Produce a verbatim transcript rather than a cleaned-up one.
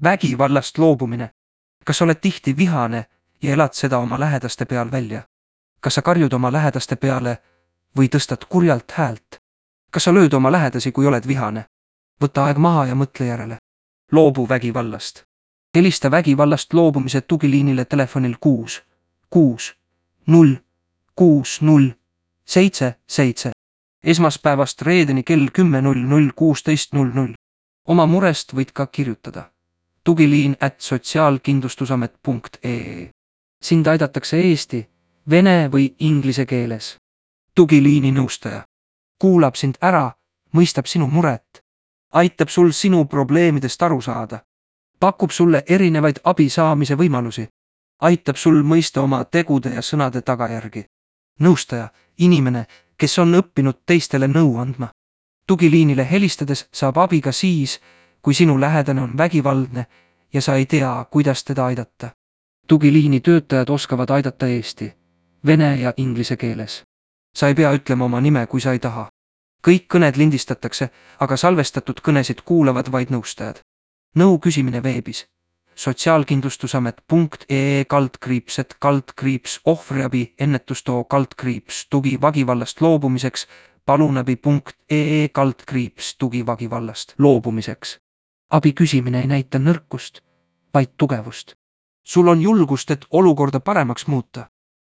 Vägivallast loobumine. Kas oled tihti vihane ja elad seda oma lähedaste peal välja? Kas sa karjud oma lähedaste peale või tõstad kurjalt häält? Kas sa lööd oma lähedasi, kui oled vihane? Võta aeg maha ja mõtle järele. Loobu vägivallast. Helista vägivallast loobumise tugiliinile telefonil kuus, kuus, null, kuus, null, seitse, seitse. Esmaspäevast reedeni kell kümme null null kuusteist null null. Oma murest võid ka kirjutada. Tugiliin at sotsiaalkindlustusamet punkt ee. Sind aidatakse eesti, vene või inglise keeles. Tugiliini nõustaja. Kuulab sind ära, mõistab sinu muret. Aitab sul sinu probleemidest aru saada. Pakub sulle erinevaid abi saamise võimalusi. Aitab sul mõista oma tegude ja sõnade tagajärgi. Nõustaja, inimene, kes on õppinud teistele nõu andma. Tugiliinile helistades saab abi ka siis, kui sinu lähedane on vägivaldne ja sa ei tea, kuidas teda aidata. Tugiliini töötajad oskavad aidata eesti, vene ja inglise keeles. Sa ei pea ütlema oma nime, kui sa ei taha. Kõik kõned lindistatakse, aga salvestatud kõnesid kuulavad vaid nõustajad. Nõu küsimine veebis. sotsiaalkindlustusamet punkt ee kaldkriipset kaldkriips ohvriabi ennetustoo kaldkriips tugi vägivallast loobumiseks palunabi punkt ee kaldkriips tugi vägivallast loobumiseks. Abi küsimine ei näita nõrkust, vaid tugevust. Sul on julgust, et olukorda paremaks muuta.